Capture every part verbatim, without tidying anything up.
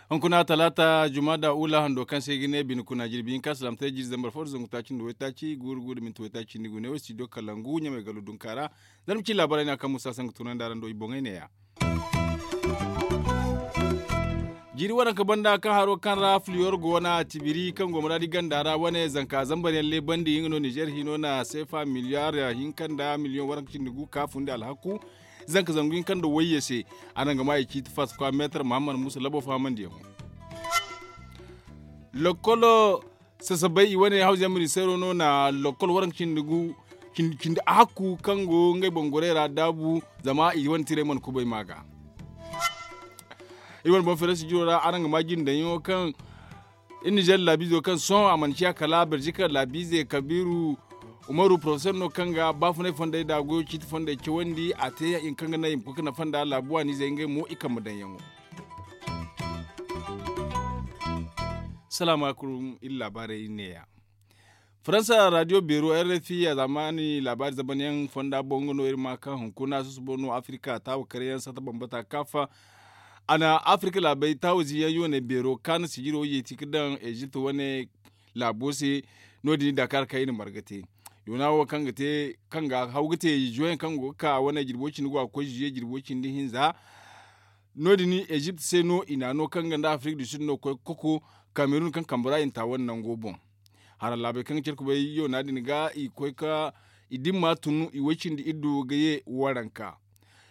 Hunkuna talaata jumada ula hando kaŋ se ga ne bine kuna jirbi hinka salaamtey jiiri zambar fo da zangu taaci nda waytaaci guuru guuru da minti waytaaci nda gune wo studio kalangu ɲamay galo dunka ra. Zarma ci laabaarey no a kaŋ musa sangu tunandi araŋ do i boŋey neeya. Jiiri waranka banda kaŋ haro kaŋ ra filiyor go wane a tibiri kaŋ go maraadi ganda ra wane zanka zambar yaŋ leebandi nga no nizer hino na seefa miliyar hinka nda miliyoŋ waranka cindi gu ka fundi alhaku. Zanka zangu hinka nda wayye se a naŋ ga ma i ciiti fasikwa meetar muhammad musa labo fahamandiyaŋo. Lokkolo sasabay i wane hawza yaŋ ministeero no na lokkol waranka cindi gu cindi hakku kaŋ go ngey boŋ gorey ra daabu. Zama i wane tirey mana kubay ma ga. Iri wane boŋ feerasi jiro ra araŋ ga ma jindayaŋo kaŋ iri nizer laabiizo kaŋ sohõ a mana ciya kala berzika laabiize kabiiru umaru porofesor no kaŋ ga baafunay fondey da goyo ciiti fondey cawandi a te i ma kaŋ ga naŋ i ma koy ga nafa nda laabu waaniizey ngey mo i kambe daŋyaŋo. Salaamu alaykum iri laabaarey neeya. Faransa radio beero r f i a zamani laabaari zamanyaŋ fonda boŋ nga no iri ma kaŋ hunkuna susubo no afirika taawa karyaŋ sata bambata kaafa. A na afirika laabey taawa ziyaŋ yoone beero kaana sijiro yeeti ga daŋ ezipt wane laabo se. No- din i dakar kaŋ i na marga te yoona wo kaŋ ga haw ga te zuwe kaŋ go ga ka wane jirbo cindi go a ga koy zuwe jirbo cindi hinza. No- din ezipt se no i na no kaŋ ga nda afirik du sud no ga koy ga koko kamerun kaŋ kambe ra i na ta wane nango boŋ. Hara laabey kaŋ ga care kubay yoona din ga i koy ga i dimma tun i way cindi iddu ga ye waranka.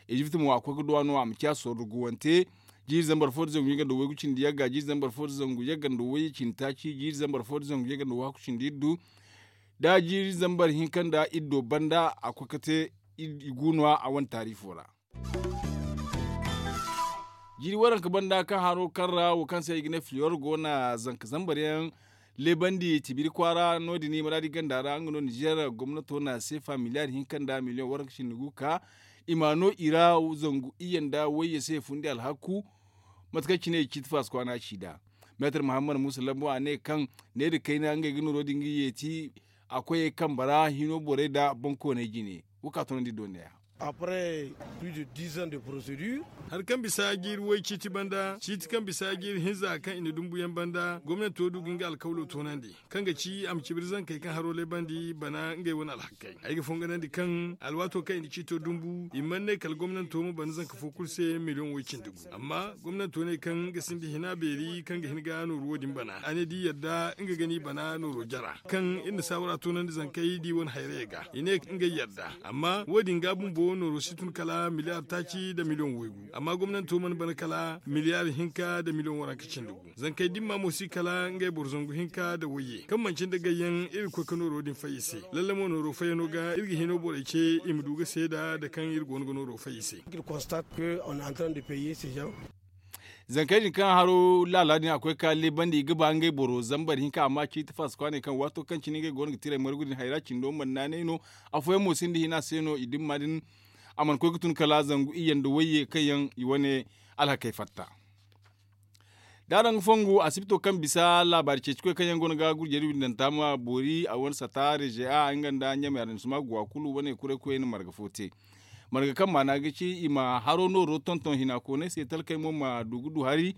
Ezipt mo a koy ga duwa no a ma ciya sorro guwante. Jiiri zambar fo da zangu yagga nda waygu cindi yagga jiiri zambar fo da zangu yagga nda wayye cindi taaci jiiri zambar fo da zangu yagga nda waygu cindi iddu. Da jiiri zambar hinka nda iddo banda a koy ga te i gu no- ya a wane taarifo ra. Jiiri waranka banda kaŋ haro kaŋ ra wo kaŋ se i ga ne filiyor go na zanka zambar yaŋ leebandi tibiri kwaara no- din i maraadi ganda ra nga no nizer gomnato na seefa miliyar hinka nda miliyoŋ waranka cindi gu ka i ma no i ra zangu iyye nda wayye se fundi alhaku. Mate kaŋ cine i ciiti faasi kwaana ci nd'a meetar muhammad musa lambo a ne kaŋ ne nda kayna ngey ga nooro din ga yeeti a koyey kambe ra hino borey nda boŋkooney jine. Wo ka toonandi doone ya. Après plus de dix ans de procédure. Hari kaŋ bisa jiiri way ciiti banda ciiti kaŋ bisa jiiri hinza kaŋ i na dumbuyaŋ banda gomnanto du ga nga alkawlo toonandi kaŋ ga ci a ma cibiri zankey kaŋ haro leebandi bana ngey wane alhakey ay ga fonganandi kaŋ alwaato kaŋ i na ciito dumbu i mana ne kala gomnanto ma bana zanka fo kulu se miliyoŋ way cindi gu amma gomnanto ne kaŋ ga sinda hina beeri kaŋ ga hin ga nooru wo- din bana a ne da i yadda nga ga ni bana nooro jara kaŋ iri na saawara toonandi zankey da i wane hayrayey ga i ne ngey yadda amma wo- din ga bumbo nooro si tun kala miliyar taaci nda miliyoŋ waygu amma gomnanto mana bana kala miliyar hinka nda miliyoŋ waranka cindi gu zankey dimma mo si kala ngey boro zangu hinka nda wayye kaŋ manci nda gayyaŋ iri ga koy ga nooro din fay i se lalle mo nooro fayyano ga iri ga hino borey ce i ma du ga seeda nda kaŋ iri go no ga nooro fay i se. Zankey din kaŋ haro laala din a koy ga ka leebandi i ga ba ngey boro zambar hinka amma ciiti faasi kwaaney kaŋ waato kaŋ cine ngey go no ga tiray margu din hayra cindo mana naanay no. Afooyaŋ mo sinda hina se no i dimma din a mana koy ga tun kala zangu iyye nda wayye kaŋ yaŋ i wane alhakey fatta. Da araŋ ga fongu asibito kaŋ bisa laabaari ceeci koy kaŋ yaŋ go no ga gurjey da windanta ma boori a wane sata rezeya nga nda ɲamay araŋ suma guwa kulu wane kuray koyey na marga fo te. Marga kaŋ maana ga ci i ma haro nooro tonton hina koonay se talkey mo ma du ga du hari.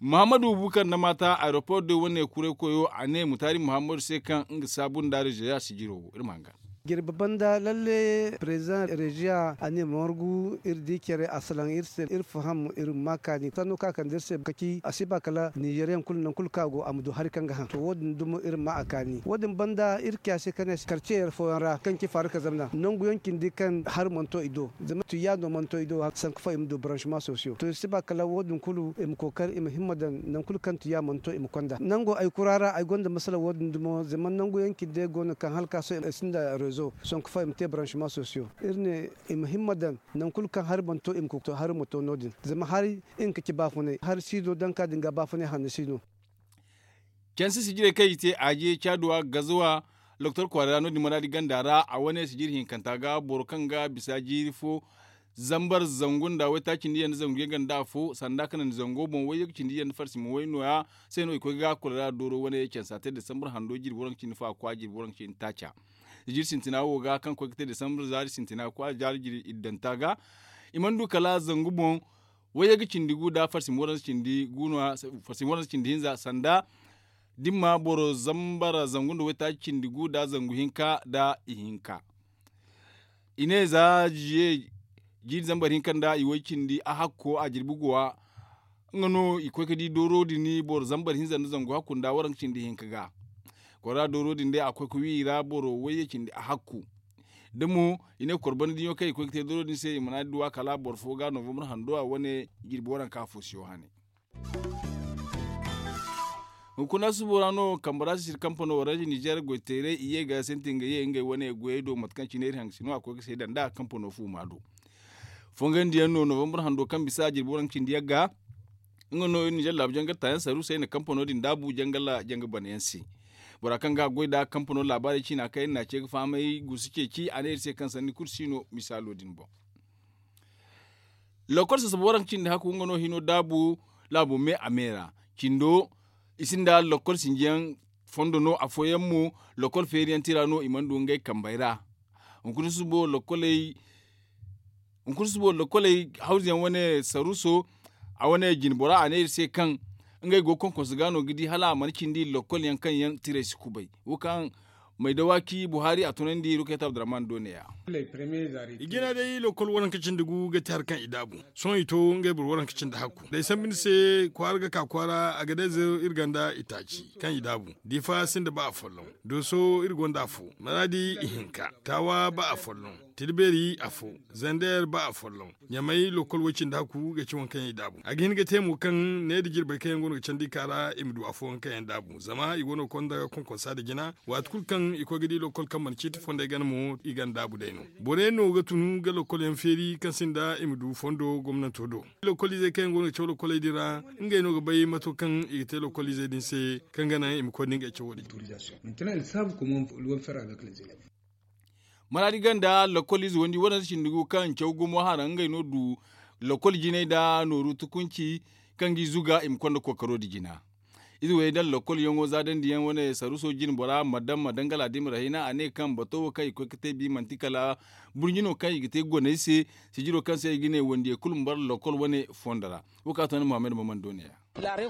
Muhammadu bukar nda maata aeroport day wane kuray koyo a ne mutaari muhammadu se kaŋ nga saabu nda rezeya sijiro iri ma hangan. Jirbi banda lalle president reziya a ne margu iri di care a salaŋ iri se iri faham iri ma kaani sanno kaŋ a kande iri se kaci a si ba kala nizeriyaŋ kulu nangu kulu kaŋ a go a ma du hari kaŋ ga haŋ to wo- din dumo iri ma a kaani wo- din banda iri kiya se kaŋ ne karce yar fooyaŋ ra kaŋ ci faarika zamna nangu yaŋ cindi kaŋ hari mana to i do zama tuya no mana to i do sanku fo i ma du branchement sociaux to iri si ba kala wo- din kulu i ma kookari i ma himma daŋ nangu kulu kaŋ tuya mana to i ma konda nango ay kura ra ay gonda masala wo- din dumo zama nangu yaŋ cindi go no kaŋ hala ka sohõ i sinda rezo sonko fo i ma te branchement sociaux iri ne i ma himma daŋ nangu kulu kaŋ hari mana to i ma koy ga to hari ma to no- din zama hari nga ga ci baafunay hari si no daŋ ka din ga baafunay hanno si no. Canse sijirey kaŋ i te aje caaduwa gazuwa loktor kwaara ra no- din maraadi ganda ra a wane sijiri hinkanta ga boro kaŋ ga bisa jiiri fo. zambar zangu nda waytaaci nda iyye nda zangu yagga nda afo sanda ka naŋ zango boŋ wayye ga cindi iyye nda farsi ma way no- ya. Se no i koy ga kolera dooro wane cansa te desambar hando jirbi waranka cindi fo a kwa jirbi waranka cindi taaca. Jiri sintina wo ga kaŋ koy ga te desambar zaari sintina kwa zaari jiri iddanta ga i mana du kala zangu boŋ. Wayye ga cindi gu nda farsi ma waranka cindi gu no- ya farsi ma waranka cindi hinza sanda dimma boro zambar zangu nda waytaaci cindi gu nda zangu hinka nda ihinka. I ne za jiiri zambar hinka nda i way cindi a hakko a jirbi guwa. Nga no i koy ga di dooro din boro zambar hinza nda zangu hakku nda waranka cindi hinka ga. Kora dooro din day a koy ga wi i ra boro wayye cindi a hakku. Da mo i ne kor banda diɲo kaŋ i koy ga te dooro din se i mana duwa kala boro fo ga novembre hando a wane jirbi waranka fo siyo hane. Hunkuna subo ra no kambe ra sisiri kampano orange nizer goy teeray i ye ga sintin ga ye ngey wane goyey do mate kaŋ cine iri hangasino a koy ga seeda nda kampano fuuma do. Fongandiyaŋ no novembre hando kaŋ bisa a jirbi waranka cindi yaŋ ga. Nga no iri nizer laabu jangar taayaŋ saru se ay na kampano din daabu janga bana yaŋ se. Bora kaŋ ga a goy nda kampano laabaarey ciina kaŋ iri na a ce ga fahamay guusu ceeci a ne iri se kaŋ sanni kulu si no misaalo din boŋ. Lokol sasaba waranka cindi hakku nga no hino daabu laabo me a me ra. Cindo i sinda lokol sinjiyaŋ fondo no afooyaŋ mo lokol feeriyaŋ tira no i mana du ngey kambey ra. Hunkuna subo lokkoley hunkuna subo lokkoley hawzuyaŋ wane saruso a wane jinbora a ne iri se kaŋ ngey go ga konkonsu ga no ga di hala a mana cindi lokkolyaŋ kaŋ yaŋ tirey si kubay wo kaŋ mai dawaki buhari a tunandi rukayta abdurrahman do ne ya. I jina day lokol waranka cindi gu ga ti hari kaŋ i daabu. Sohõ i to ngey boro waranka cindi hakku da ay sambu ni se kwaara ga ka kwaara a ga day zero iri ganda itaaci kaŋ i daabu. Difa sinda ba afolloŋ, dooso iri gonda afo, maradi ihinka, taawa ba afolloŋ, tilbeeri afo, zander ba afolloŋ. Ɲamay lokol way cindi hakku ga ci waŋ kaŋ yaŋ i daabu a ga hin ga te mo kaŋ ne nda jirbey kaŋ yaŋ go no ga candi i ka ra i ma du afooyaŋ kaŋ yaŋ daabu zama i go no ga konda konkonsa nda jina. Waati kulu kaŋ i koy ga di lokol kaŋ mana ciiti fondey gana mo i gana daabu day no. Borey no ga tun ga lokol yaŋ feeri kaŋ sinda i ma du fondo gomnanto do. Lokol izey kaŋ yaŋ go no ga caw lokoley din ra, ngey no ga bay mato kaŋ i ga te lokol izey din se kaŋ ga naŋ i ma koy nda ngey cawo din. Maraadi ganda lokol ize wandi wane sinda gu kaŋ caw gumo hara ngey no du lokol jinay nda nooru tukunci kaŋ ga i zuga i ma konda kookaro nda jina. Ize wey daŋ lokol yaŋo za dandi yaŋ wane saruso jine bora madam ma dangala da i ma rahina a ne kaŋ bato wo kaŋ i koy ga te bi manti kala burɲi no kaŋ i ga te goney se. Sijiro kaŋ se i ga ne wandiyey kulu ma bara lokol wane fondo ra. Wo kaŋ a to ni muhammad maman do ne ya. Mate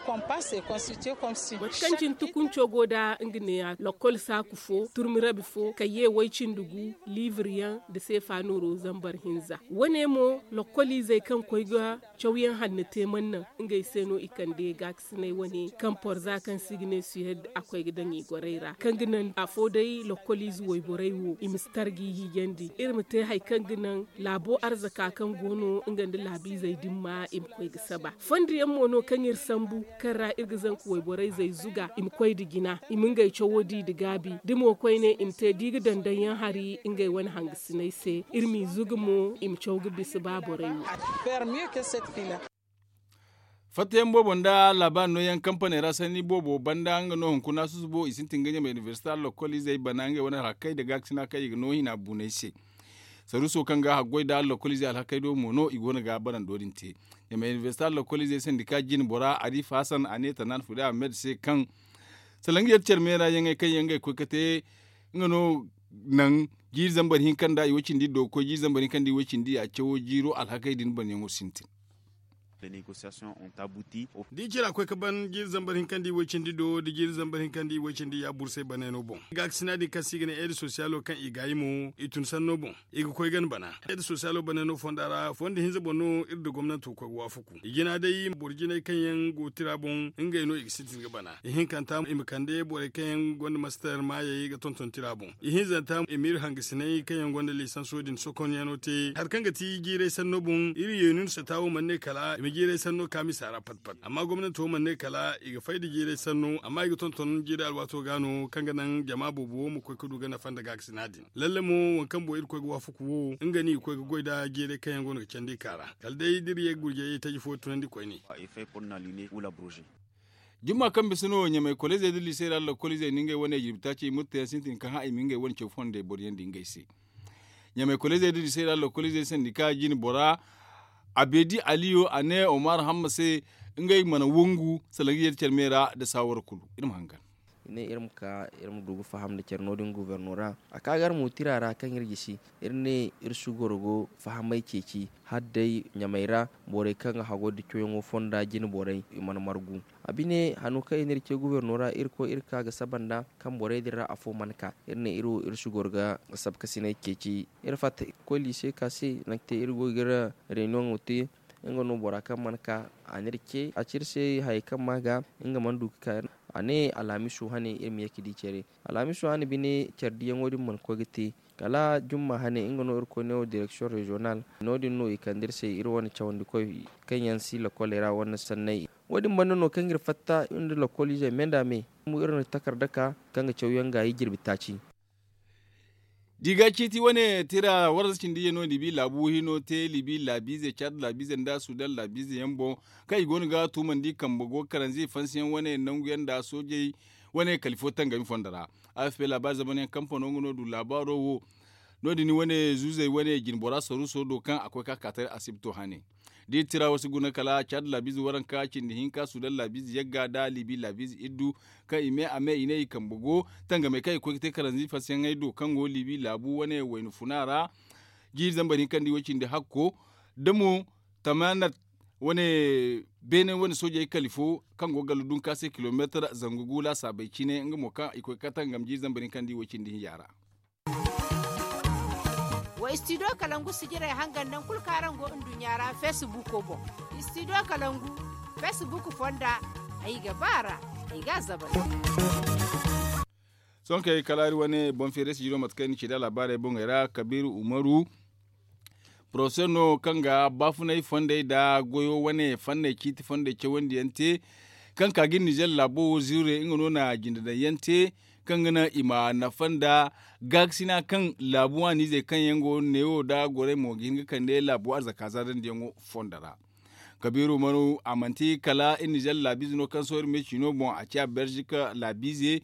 kaŋ cine tukunco go nda nga neeya lokol saaku fo turmi rabi fo kayye way-cindi gu liibir yaŋ nda seefa nooro zambar hinza. Wane mo lokol izey kaŋ koy ga cawyaŋ hanno te mana naŋ ngey se no i kande gaakasinay wane kaŋ porza kaŋ se i ga ne suhed a koy ga daŋ i gorey ra kaŋ ga naŋ afo day lokol ize wayborey wo i ma si targa i hiijandi iri ma te hari kaŋ ga naŋ laabo arzaka kaŋ go no nga nda laabiizey din ma i ma koy ga saba. Fondo yaŋ mo no kaŋ iri sambu kaŋ ra iri ga zanka wayborey zey zuga i ma koy nda jina i ma ngey cawo di nda gaabi da mo koyne i ma te da i ga daŋ daŋ yaŋ hari ngey wane hangasiney se iri m'i zuga mo i ma caw ga bisa ba borey wo. Fattayaŋ boobo nda laabaari nooyaŋ kampaney ra sanni boobo banda nga no hunkuna susubo i sintin ga ɲamay inibersita lokol izey bana ngey wane alhakey nda gaakasina kaŋ i ga no hina buuney se. Saruuso kaŋ ga haggoy nda lokol izey alhakey do mo no i go no ga barando din te. Ɲamay inibersita lokol izey sandika jine bora arifa hasan a ne tanaana fude ahmed se kaŋ salaŋ ga yadda care meera yaŋey kaŋ yaŋ ga ay koy ga te nga no naŋ jiiri zambar hinka nda i way cindi do ga koy jiiri zambar hinka nda i way cindi a cawo jiiro alhakey din banyaŋo sintin. Da i cira koy ga ban jiiri zambar hinka nda i way cindi do da jiiri zambar hinka nda i way cindi ya bursay banay no boŋ gaakasina din kaŋ se i ga ne eedi sosiyalo kaŋ i gaayi mo i tun sanno boŋ. I ga koy gana bana eedi sosiyalo banay no fonda ra fondo hinza boŋ no iri nda gomnanto koy ga waafaku i jina day boro jinay kaŋ yaŋ go tira boŋ ngey no i ga sintin ga bana. Ihinkanta i ma kande borey kaŋ yaŋ gonda master maayey ga tonton tira boŋ. Ihinzanta i ma iri hangasinay kaŋ yaŋ gonda lisanso din sokonyaŋo te hari kaŋ ga ti jiiray sanno boŋ iri yeenu nda sata wo mana ne kala i ma jiiray sanno ka misa ra pat pat amma gomnanto mana ne kala i ga fay nda jiiray sanno amma i ga tonton jiiray alwaato ga no kaŋ ga naŋ jama boobo wo ma koy ga du ga nafa nda gaakasina din. Lalle mo waŋ kaŋ boŋ iri koy ga waafaku wo nga no i ga koy ga goy nda jiiray kaŋ yaŋ go no ga candi i ka ra kala day da iri ye ga gurjey taji fo tunandi koyne. Jumma kaŋ bisa no ɲamay koleezey da liisey ra lokol izey na ngey wane jirbi taaci i murtayaŋ sintin kaŋ hã i ma ngey wane caw fondey boro yaŋ di ngey se. Ɲamay kolleezey da disey ra lokoliizey sandika jine bora, a beedi aliyo a ne omar hamma se, ngey mana wangu salaŋ ga yeeti care me ra nda saawara kulu. Iri ma hangan. I ne iri ma ka iri ma du ga faham nda care no- din goborno ra. A ka ga iri mo tira ra kaŋ iri gisi, iri ne iri si goro go fahamey ceeci hala day ɲamay ra, borey kaŋ ga hago nda cawyaŋo fonda jine borey i mana margu. A bine hano kaŋ i n'iri ce goborno ra iri koy iri ka ga saba nd'a, kaŋ borey din ra afo mana ka. Iri ne iri wo iri si goro ga sabkasiney ceeci. Iri fatta iri ga koy liise ka se, nangu te iri go ga iri reuniyoŋo te. Nga no bora kaŋ mana ka, a n'iri ce a ci iri se hayey kaŋ ma ga, nga mana du ga ka. A ne alhamiso hane iri ma ye ga di care. Alhamiso hane bine care diyaŋo din mana koy ga te. Kala jumma hane nga no iri koy ne wo direksiyoŋ reziyonal. No- din no i kande iri se iri wane cawandikoy kaŋ yaŋ si lakoley ra wane sanney. Wo- din banda no kaŋ iri fatta nda lakoliizey me nda me. Iri na takarda ka kaŋ ga cawyaŋ gaayi jirbi taaci. Da i ga ciiti wane tira warza cindi yaŋ no libi laabu hino te libi laabiize caad laabiize nda sudan laabiize yaŋ boŋ, kaŋ i go no ga tuumandi kambe go karanze fansiyaŋ wane nangu yaŋ nda soojey wane kala ifo tangami fondo ra. Afp laabaari zamanayaŋ kampano nga no du laabaaro wo. No- din wane zuuzey wane jinbora saruuso do kaŋ a koy ka ka taray asibto hane. Da i tira wo si guna kala caad laabiize waranka cindi hinka sudan laabiize yagga nda libi laabiize iddu, kaŋ i me a me i ne i kambe go tangamey kaŋ i koy ga te karanzi fasayaŋey do kaŋ go libi laabu wane wayna funa ra. Jiiri zambar hinka nda i way cindi hakko da mo tamanat wane beene wane soojey kala ifo kaŋ go ga galla dunka se kilomeetar zangu gu laasaabey cine nga mo kaŋ i koy ga ka tangam jiiri zambar hinka nda i way cindi hinya ra. Wa istidiyo kalangu sijirey hangan naŋ kulu kaŋ araŋ go nduɲɲa ra feesibuuko boŋ. Istidiyo kalangu feesibuuko fonda ay ga ba a ra. Ay ga a zabal. Sohõ kay kala iri wane boŋ feere sijiro mate kaŋ i na ci da laabaarey boŋey ra kabiiru umaru, porofesor no kaŋ ga baafunay fondey nda goyo wane fanney ciiti fondey cawandi yaŋ te. Kaŋ ka ga iri nizer laabo wo ziire nga no na jinde daŋ yaŋ te, kaŋ ga naŋ i ma nafa nda gaakasina kaŋ laabu waaniizey kaŋ yaŋ go neewo nda gorey mo ga hin ga kande laabu arzaka zaadandi yaŋo fondo ra. Kabiiru manu a manti kala iri nizer laabiize no kaŋ sohõ iri me ciino boŋ a ciya belzik laabiize.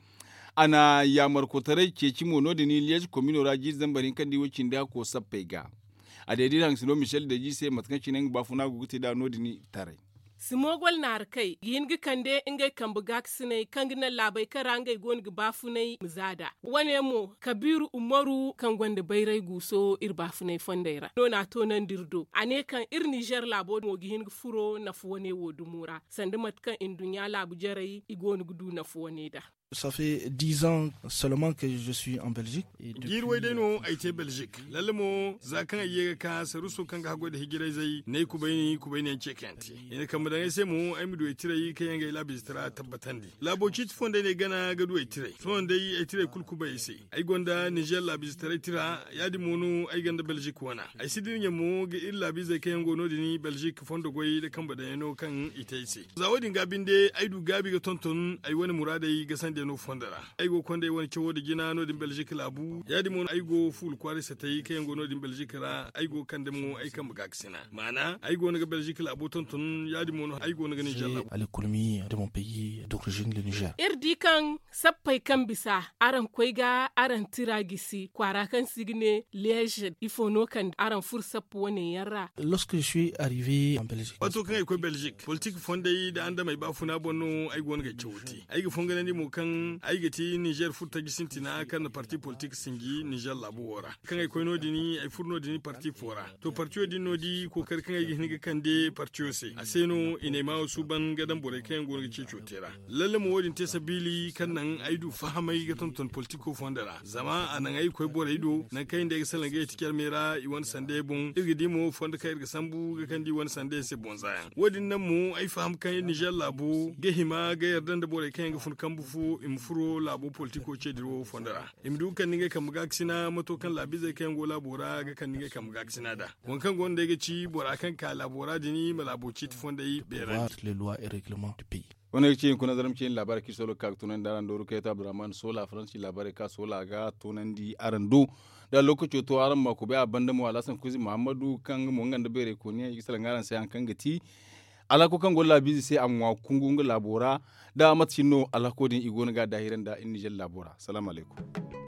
A na yaamarkotaray ceeci mo no- din liyeez komino ra jiiri zambar hinka nda i way cindi hakko sappey ga. A day da iri hangasino michel deji se mate kaŋ cine nga baafuna go ga te nd'a no- din taray. Simogol naarikey ga hin ga kande ngey kambe gaakasiney kaŋ ga naŋ laabey kaŋ ra ngey go no ga baafunay ma za nd'a. Wane mo kabiiru umaru kaŋ gonda bayray guuso iri baafunay fondey ra no na a toonandi iri do a ne kaŋ iri nizer laabo mo ga hin ga furo nafa wane wo dumo ra sanda mate kaŋ nduɲɲa laabu jarey i go no ga du nafa wane nd'a. Ça fait dix ans seulement que je suis en belgique. Jiiri way day no ay te belgique. Lalle mo za kaŋ ay ye ga ka saruso kaŋ ga haggoy nda hijirayzey n'ay kubayni kubayniyaŋ ce kaŋ yaŋ te. I na kambe daŋ ay se mo ay ma du ay tiray kaŋ yaŋ ga ay laabiize tira tabbatandi. Laabo ciiti fondey no ay gana ga du ay tiray sohõ day ay tiray kulu kubay ay se. Ay gonda nizer laabiize taray tira ya- din mo no ay gonda belgique wana. Ay si dira ɲa mo ga iri laabiizey kaŋ yaŋ go no- din belgique fondo goy nda kambe daŋ yaŋ no kaŋ i te ay se. Za wo- din ga binde ay du gaabi ga tonton ay wane muraadey ga sandiyaŋo fondo ra. Ay go ga konda ay wane cawo nda jina no- din belgique laabu ya- din mo no ay go fuula kwaaray satey kaŋ yaŋ go no- din belgique ra ay go ga kande mo ay kambe gaakasina maana ay go no ga belgique laabo tonton ya- din mo no ay go no ga nizer laabu. Iri di kaŋ sappey kaŋ bisa araŋ koy ga araŋ tira gisi kwaara kaŋ se i ga ne leezed ifo no kande araŋ furo sappa wane yaŋ ra? Waato kaŋ ay koy belgique politik fondey nda andamey baafuna boŋ no ay go no ga ay cawo te. Ay ga fonganandi mo kaŋ ay ga ti nizer furtaji sintina kaŋ na parti politik sinji nizer laabo wo ra. Kaŋ ay koy no- din ay furo no- din parti fo ra. To partiyo din no di kookari kaŋ ay ga hin ga kande partiyo se a se no i na ay maawo suuban ga daŋ borey kaŋ yaŋ go no ga ceeco te ra. Lalle mo wo- din te sabiili kaŋ naŋ ay du fahamay ga tonton politiko fondo ra zama a naŋ ay ga koy borey do nangu kaŋ ay nda ay ga salaŋ ga ay ti carmey ra i wane sanday boŋ iri ga di mo fondo kaŋ iri ga sambu ga kande i wane sanday se boŋ zaayaŋ wo- din naŋ mo ay faham kaŋ iri nizer laabo ga hima ga yarda nda borey kaŋ yaŋ ga fun kambu fo i ma furo laabo politiko ce dira wo fondo ra. I ma du ga kande ngey kambe gaakasina mato kaŋ laabiizey kaŋ yaŋ go laabo ra ga kande ngey kambe gaakasina nd'a. Waŋ kaŋ go no day ga ci bora kaŋ ga ka laabo ra din ma laabo ciiti fondey beerandi. Wane ga ci hinkuna zarma ciine laabaarey kaŋ i sohõ ga ka ga tunandi araŋ dooru kayta abdurrahman soola faransi laabaarey kaŋ a soola ga tunandi araŋ do. Da lookaco to araŋ ma kubay a banda mo alhasan kuzi muhammadu kaŋ nga mo nga nda bayray kooniyaŋ i ga salaŋ araŋ se hari kaŋ ga ti alhako kaŋ go laabiize se a ŋwa kungu nga laabo ra. Da mate cine no alhako din i go no ga a daahirandi a iri nizer laabo ra salaamu alaykum.